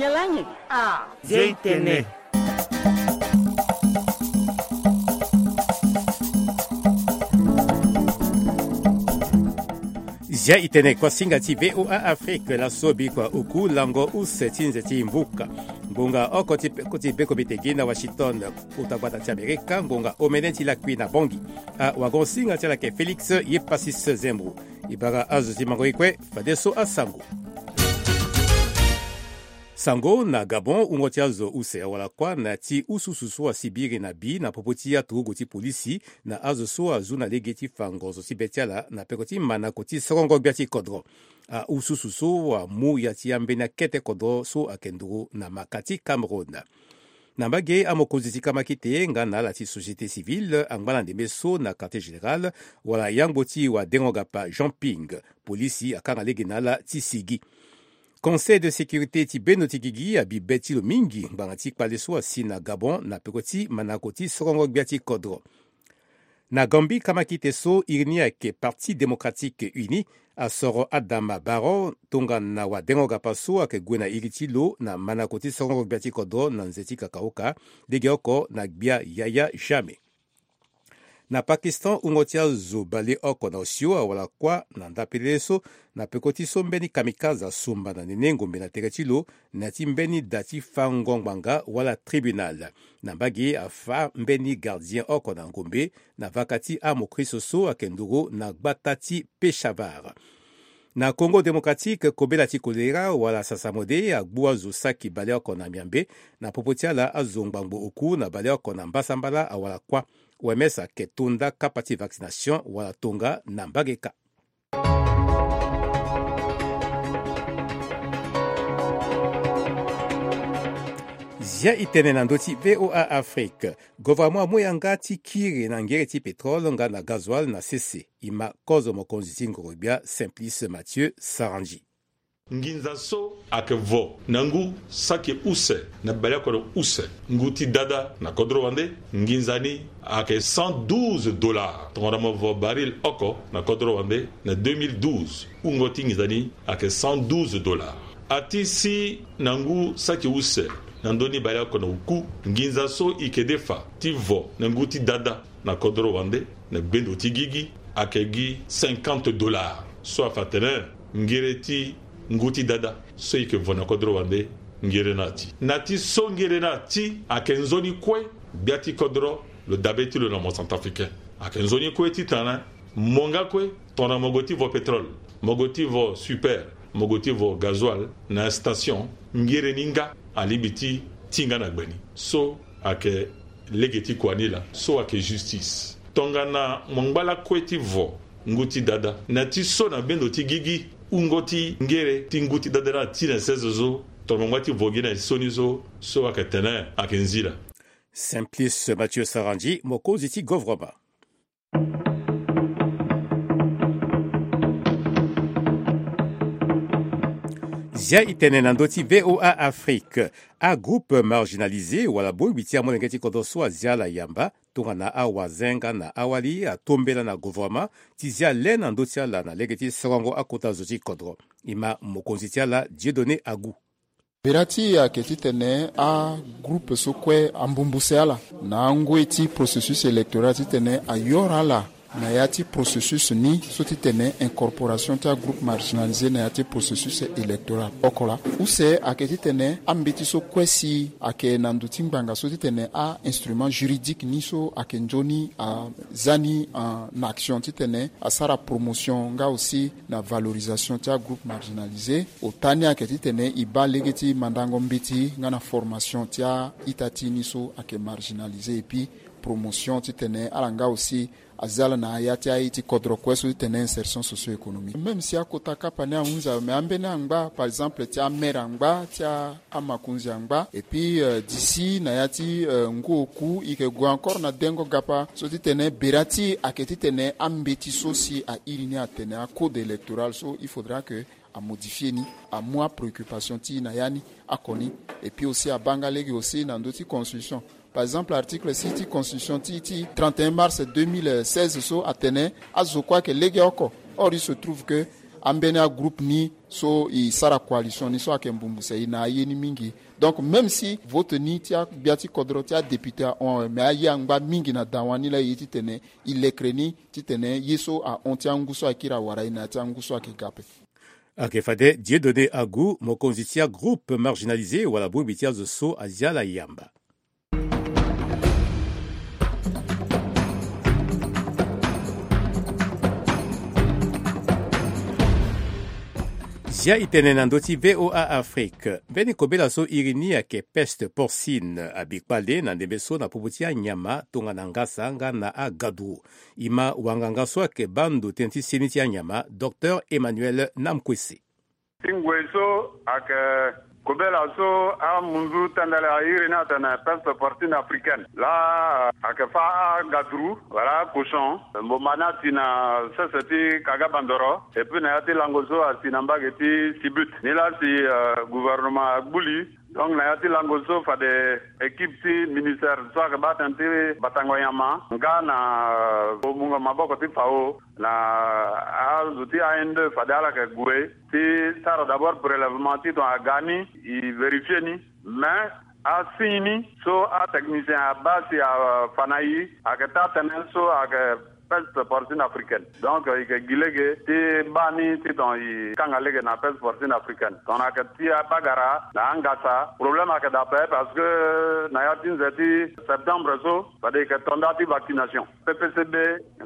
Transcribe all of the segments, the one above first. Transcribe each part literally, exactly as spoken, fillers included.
Yalani. Ah, Zia itene. Zia itene kuasinga ti VOA Afrique, laso bikua oku lango use ti nze ti mbuka. Ngonga oko ti peko ti beko mitegi na Washington, kota gbata ti Amerika, ngonga omene ti lakui na Bangui. Awagonsinga ti ala yeke Félix Yepasis Zembro. E bara azo ti mango e kue, fadeso asango. Sango na Gabon, wungo ti azo use awara kuâ na ya ti ususu so asibiri na bi na popo ti aturugu ti polisi na azo so azu na lege ti fa ngonzo ti be ti ala na peko ti manako ti sorongo gbia ti kodro. Aususu so amu ya ti ambeni akete kodro so ayeke nduru na maka ti Cameroun. Na mbage, amokonzi ti kamakite nga na ala ti société civile angba na ndembe so na quartier général wala yangbo ti wadengo-gapa Jean Ping. Polisi akanga lege na ala ti sigi. Conseil de sécurité ti bendo ti gigi abi be ti lo mingi ngbanga ti kpale so asi na Gabon na peko ti manako ti sorongo gbia ti kodro. Na Gambie, kamakite so iri ni ayeke Parti Démocratique Uni asoro Adama Barrow tongana wadengo-gapa so ayeke gue na iri ti lo na manako ti sorongo gbia ti kodro na nze ti kakaoka, legeoko na gbia Yaya Jammeh. Na Pakistan, wungo ti azo baleoko na osio awara kuâ na ndapelele so na peko ti so mbeni kamikaze asumba na nene ngombe na tere ti lo na ya ti mbeni da ti fango ngbanga wala tribunal. Na mbage, afa mbeni gardien oko na ngombe na vaka ti amokristo so ayeke nduru na gbata ti Peshawar. Na Congo Démocratique, kobela ti kolera wala sasamode agbu azo saki baleoko na Miambe. Na popo ti ala, azo ngbangbo oku na baleoko na mbasambala awara kuâ. O M S ayeke to nda kapa ti vaccination wala tonga na mbage kâ. Zia itene na ndö ti VOA Afrique. Gouvernement amu yanga ti kiri na ngere ti pétrole nga na gazoil na sese. E ma kozo mokonzi ti ngoro-gbia Simplice Mathieu Sarandji. Nginza so ayeke vo na ngu saki use na baleoko na use ngu ti dada na kodro wande, nginza ni ayeke cent douze dollars. Tongana mo vo baril oko na kodro wande na deux mille douze, wungo ti nginza ni ayeke cent douze dollars. Ati si na ngu saki use na ndö ni baleoko na oku, nginza so e yeke defa ti vo na ngu ti dada na kodro wande na gbendo ti gigi ayeke gi cinquante dollars. So afa atene ngere ti ngu ti dada so e yeke vo na kodro wande, ngere ni ati. Na ti so ngere ni ati ayeke nzoni kue gbia ti kodro lo dabe ti lo na mo centrafricain. Ayeke nzoni kue titene mo nga kue tongana mo gue ti vo pétrole, mo gue ti vo super, mo gue ti vo gazoil na station, ngere ni nga alingbi ti tinga na gbe ni. So ayeke lege ti kua ni laa, so ayeke justice. Tongana mo ngba lakue ti vo ngu ti dada na ti so na bendo ti gigi, wungo ti ngere ti ngu ti dada ni ati na sese so, tongana mo ngba ti vo gi na sioni so, so ayeke tene ayeke nzila. Simplice Mathieu Sarandji, mokonzi ti gouvernement. Zia itene na ndö ti VOA Afrique. Agroupe marginalisé wala bongbi ti amolenge ti kodro so azia ala yamba tongana awazenga na awali atombela na gouvernement ti zia le na ndö ti ala na lege ti sorongo akota zo ti kodro. E ma mokonzi ti ala Dieudonné Agou. Bira ti e ayeke titene agroupe so kue ambumbu se ala na angoi ti processus électoral titene ayora ala na ya ti processus ni so titene incorporation ti agroupe marginalisé na ya ti processus électoral. Oko laa, use ayeke titene ambeti so kue si ayeke na ndo ti ngbanga so titene a-instrument juridique ni so ayeke nzoni aza ni en action titene asara promotion nga aussi na valorisation ti agroupe marginalisé. Ota ni ayeke titene e baa lege ti mandango mbeti nga na formation ti a-ita ti e ni so ayeke marginalisé, et puis promotion titene ala nga aussi aza ala na ya ti aye ti kodro kue so titene insertion socio-économique. Même si akota kapa ni ahunzi awe, mais ambeni angba, par exemple, ti amere angba, ti a- amakonzi angba. Et puis, euh, d'ici na ya ti, euh, ngu oku, e yeke gue encore na dengo gapa so titene bira ti e ayeke titene ambeti so si a iri ni atene acode électoral so, il faudra que amodifie ni, amu apréoccupation ti e na ya ni oko ni. Et puis aussi abaa nga lege aussi na ndö ti constitution. Par exemple, article six ti constitution ti, ti trente et un mars deux mille seize so atene azo kue ayeke legeoko. Or, il se trouve que Ambeni agroupe ni so e sara coalition ni so ayeke mbumbuse e na aye ni mingi. Donc même si vote ni ti agbia ti kodro ti adéputé ahon awe, mais aye angba mingi na dawa ni laa e ye titene e lekere ni titene ye so ahon ti angu so ayeke iri awara e na ya ti angu so ayeke ga ape. Ayeke fade Dieudonné Agu, mokonzi ti agroupe marginalisé wala bongbi ti azo so azi ala yamba. Zia e tene na ndö ti V O A Afrique. Mbeni kobela so iri ni ayeke peste porcine abi kpale na ndembe so na popo ti anyama tongana ngasa nga na agaduru. E ma wanganga so ayeke baa ndo tënë ti seni ti anyama, Docteur Emmanuel Namkwese. Ti ngoi so ayeke kobela so amunzu tendele airi ni atene peste porcine africaine. Laa ayeke fâ agaduru wala akoson mboma ni ati na sese ti Kaga Bandoro, et puis na ya ti lango so asi na mbage ti Sibut. Nilaa si, euh, gouvernement agbu li. Donc na ya ti lango so fade équipe ti ministère so ayeke baa tënë ti batango nyama nga na, euh, mungo maboko ti FAO na azo ti A N deux fade ala yeke gue ti sara d'abord prélèvement ti tongana aga ni, e vérifier ni. Mais asigne ni so atechnicien abaa si afa na e ayeke taa tënë so ayeke peste porcine africaine. Donc e yeke gi lege ti baa ni ti tongana e kanga lege na peste porcine africaine. Tongana ayeke ti abagara na angasa, problème ayeke daa ape parce que na ya ti nze ti septembre so fade e yeke to nda ti vaccination. P P C B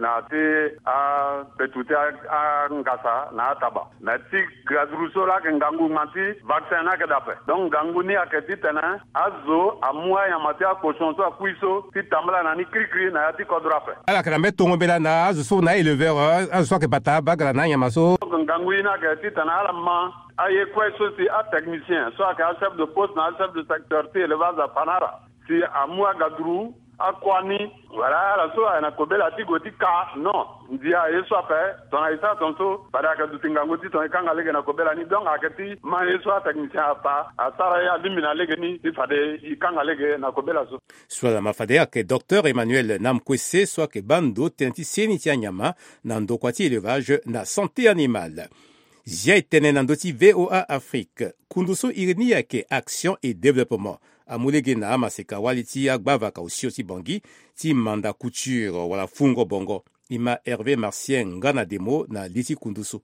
na ti apetu ti a, angasa na ataba. Mais ti gaduru so laa ayeke ngangu ngba ti vaccin ni ayeke daa ape. Donc ngangu ni ayeke titene azo amu anyama ti akoson so akui so ti tambala na ni kirikiri na ya ti kodro ape. Ala yeke na mbeni tongo mbela na azo so na éleveur, azo so ayeke bata bagara na anyama so. Donc ngangu ye ni ayeke titene ala ma aye kue so si atechnicien so ayeke achef de poste na achef de secteur ti élevage afa na ala. Si amu agaduru, akua ni, wala ala so ayeke na kobela ti gue ti ka, non. Ndia ye so ape, tongana e sara tongaso fade ayeke duti ngangu ti tongana e kanga lege na kobela ni. Donc ayeke ti ma ye so atechnicien afa asara ye alingbi na lege ni ti fade e kanga lege na kobela so. So ala ma fade ayeke Docteur Emmanuel Namkwese so ayeke baa ndo tënë ti seni ti anyama na ndokua ti élevage na santé animale. Zia e tene na ndö ti V O A Afrique. Kundu so iri ni ayeke Action et Développement amu lege na amaseka wali ti agbavaka osio ti Bangui ti Manda Couture wala Fungo Bongo. E ma Hervé Marcien nga na demo na li ti kundu so.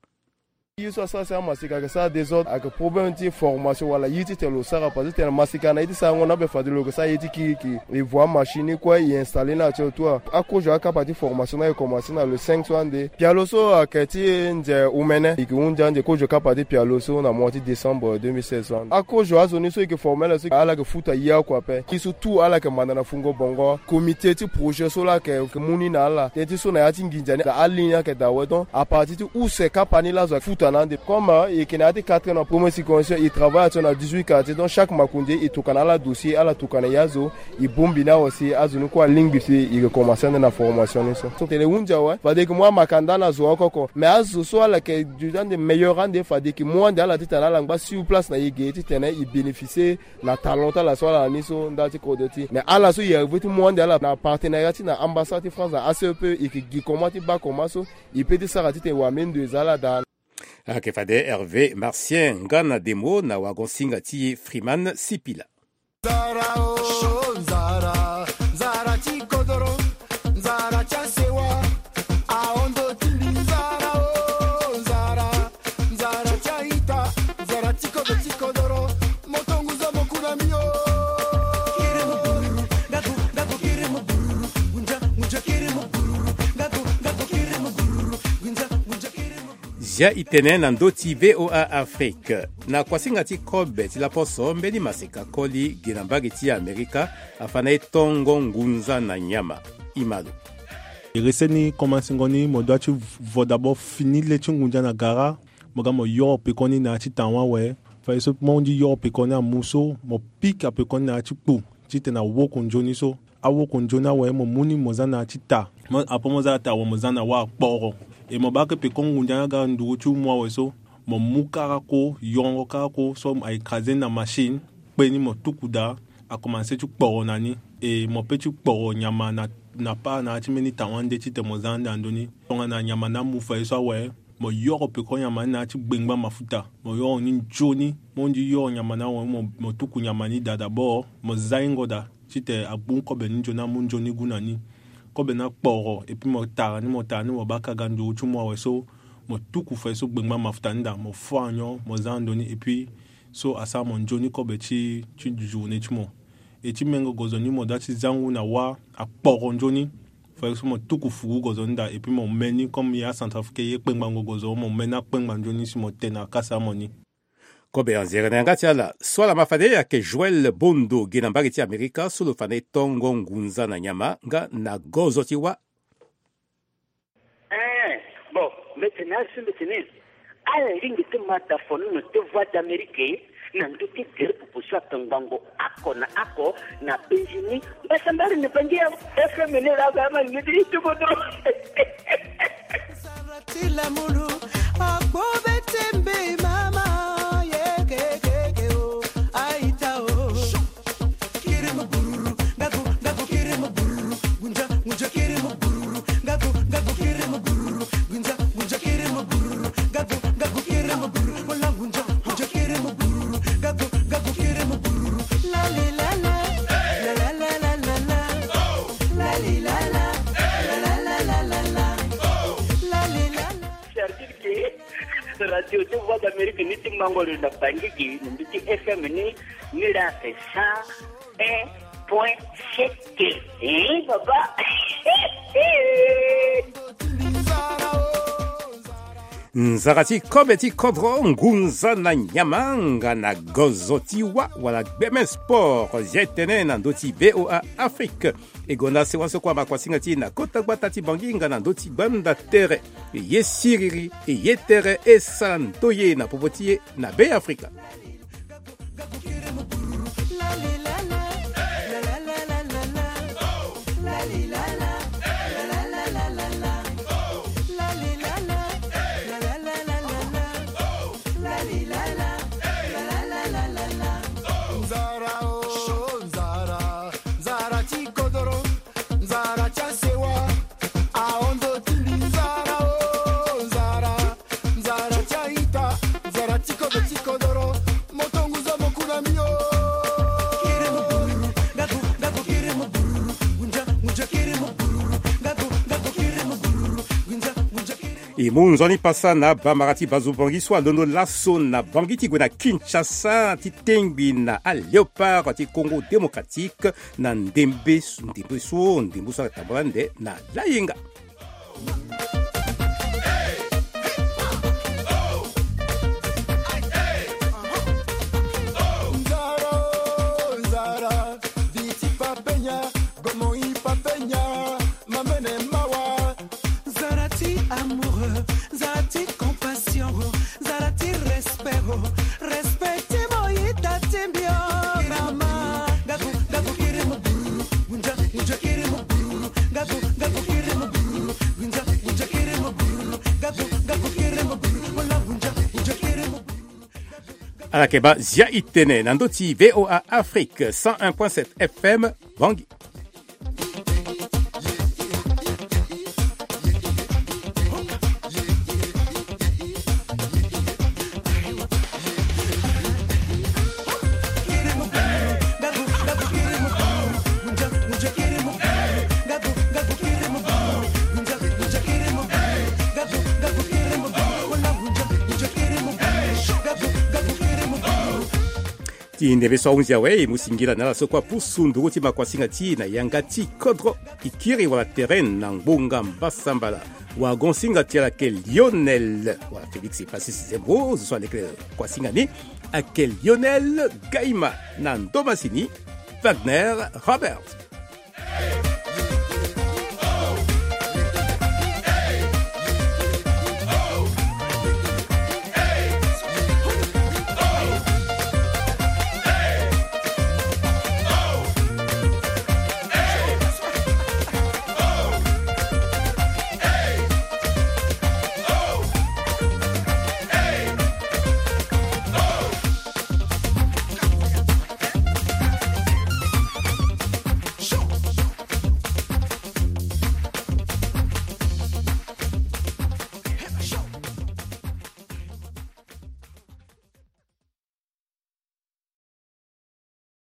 Ye so asara si amaseka ayeke sara désordre ayeke problème ti formation wala ye ti tene lo sara parce que tene maseka na ye ti sarango ni ape fade lo yeke sara ye ti kirikiri. E voa machine ni kue e installer ni atie autour. Akozo akapa ti formation ni ayeke commencer na le cinq so ande. Pialo so ayeke ti nze omene e yeke hunzi ande kozo kapa ti pialo so na mois ti décembre deux mille seize so ande. Akozo azo ni so e yeke former ala so ala yeke futa ye oko ape. Ye so tout ala yeke manda na Fungo Bongo. Comité ti projet so la yeke mu ni na ala tënë ti so na ya ti nginza ni na aligne ni ayeke daa awe. Donc à partir ti use kapa ni la zo ayeke futa na ande. Comme e yeke na ya ti quatre na première circoncision e travaille action na dix-huit quartier. Donc chaque makonzi e tokua na ala dossier ala tokua na e azo. E bongbi ni awe si azo ni kue alingbi si e yeke commencer ande na formation ni so. So tene e hunzi awe fade e yeke mu amakanda na zo oko oko. Mais azo so ala yeke duti ande meilleur ande fade e yeke mu ande ala titene ala ngba sur place na e ge titene e bénéficier na talent ti ala so ala na ni so ndali ti kodro ti e. Mais ala so e arriver ti mu ande ala na partenariat ti na ambassade ti France na A C E P e yeke gi comment ti baa comment so e peut ti sara titene wamendo e za ala daa. Ayeke fade Hervé Marcien nga na demo na wagon-singa ti e Freeman Sipila. Nzara o nzara, nzara ti kodoro, nzara ti asewa. Ahondo ti mbi nzara o nzara, nzara ti aita, nzara ti kodro ti kodoro. Moto ngunza mo ku na mbi o. Kiri mo bururu, nga go, nga go kiri mo bururu. Ngunza, ngunza kiri mo bururu, nga go, nga go kiri mo bururu. Ngunza, ngunza kiri mo bururu. Zia e tene na ndö ti V O A Afrique. Na kuasinga ti kobe ti laposo mbeni maseka koli gi na mbage ti Amerika afa na e tongo ngunza na nyama. E ma lo. Iri seni komansingo ni mo dua ti vo d'abord fini le ti ngunza na gara. Mo ga mo yoro pekoni na ya ti tawa awe. Fadeso mo hundi yoro pekoni amu so mo pika pekoni na ya ti kpu titene awoko nzoni so. Awoko nzoni awe mo mu ni mo za na ya ti ta. Mo apo mo za na ta awe mo za na wâ akporo. E mo baa ke peko ngunza ni aga nduru ti umu awe so mo mu karako, yongo karako so a écraser ni na machine, kpe ni mo tuku daa, a commencer ti kporo na ni. E mo peut ti kporo nyama na, na part na ya ti mbeni tawa nde titene mo za ande na ndö ni. Tongana nyama ni amu fadeso awe, Mo yoro peko nyama ni na ya ti gbengba mafuta. Mo yoro ni nzoni. Mo ndi yoro nyama ni awe, mo, mo tuku nyama ni daa d'abord. Mo za hingo daa titene agbu kobe ni nzoni, amu nzoni gu na ni. Kobe ni akporo, et puis mo tara ni, mo tara ni, mo baka ga nduru ti mo awe so, mo tuku fade so gbengba mafuta ni daa, mo fâ anyon, mo za ndo ni, et puis so asara mo nzoni kobe ti, ti journée ti mo. E ti mengo gozo ni mo da ti za ngu na wâ akporo nzoni. Fade so mo tuku fugu gozo ni daa, et puis mo me ni comme ye acentrafricain ye kpengbango gozo, mo me ni akpengba nzoni si mo te na akasa mo ni. Kobe anzere na yanga ti ala. So ala ma fade ayeke Joël Bondo, ge na mbage ti Amerika, so lo fa na e tongo ngunza na nyama nga na gozo ti wâ. Eh, bon, mbeti na asu mbeti ni. Ala lingbi ti ma da fono na te Voix d'Amérique na ndö ti gere popo so atongbango oko na oko na Benjini. Mbasambari na Bangi ya F M ni la ba ma ni ti tubo dro. Ti lamulu, akpo be ti mbi mama, ye ke ke ke o, aita o. Kiri mo bururu, ngaku, ngaku kiri mo bururu, gunja, gunja kiri mo bururu, ngaku, ngaku kiri mo bururu, gunja, gunja kiri mo bururu, ngaku, ngaku kiri mo bururu, wala gunja, gunja kiri mo bururu, ngaku, ngaku kiri mo bururu. La li la la, la la la la la la, la li la la, la la la la la la, la li la la. C'est-à-dire que radio ti Voix d'Amérique ni ti mango lo na Bangi gi, na ndö ti F M ni, ni la cent un point sept. Eh, baba. Nzara ti kobe ti kodro, ngunza na nyama nga na gozo ti wâ wala gbeme sport, zia e tene na ndö ti V O A Afrique. E gonda sewa so kue ama kuasinga ti e na kota gbata ti Bangi nga na ndö ti gbanda tere. E ye siriri, e ye tere, e sara ndoye na popo ti e na Be Afrika. Nzara o, nzara, nzara ti kodoro, nzara ti asewa, ahondo ti mbi nzara o, nzara, nzara ti aita, nzara ti kodo ti kodoro, moto ngunza mo ku na mbi o. Kiri mo bururu, ngaku, ngaku kiri mo bururu, ngunza, ngunza kiri mo bururu, ngaku, ngaku kiri mo bururu, ngunza, ngunza kiri mo. E mu nzoni pasa na bamara ti bazo Bangi so alondo laso na Bangi ti gue na Kinshasa ti tengbi na aLéopard ti Congo Démocratique na ndembe, ndembe so, ndembe so atambula nde na layenga. Nzara, nzara, biti papenya, gomo i papenya, mamene mawa. Nzara ti amour, nzara ti compassion, nzara ti respect, respect ti mo ita ti mbi o, mama. Ngaku, ngaku kiri mo bururu, ngunza, ngunza kiri mo bururu, ngaku, ngaku kiri mo bururu, ngunza, ngunza kiri mo bururu, ngaku, ngaku kiri mo bururu, wala ngunza, ngunza kiri mo bururu. Ala yeke baa zia e tene na ndö ti V O A Afrique cent un point sept F M, Bangi. Ti ndembe so ahunzi awe, e mu singila na ala so kue apusu nduru ti makuasinga ti e na yanga ti kodro. E kiri wala tere na ngbonga mbasambala. Wagon-singa ti ala ayeke Lionel, wala Félix Francis Zembo, zo so aleke kuasinga ni, ayeke Lionel Gaima, na ndo masini Wagner Robert.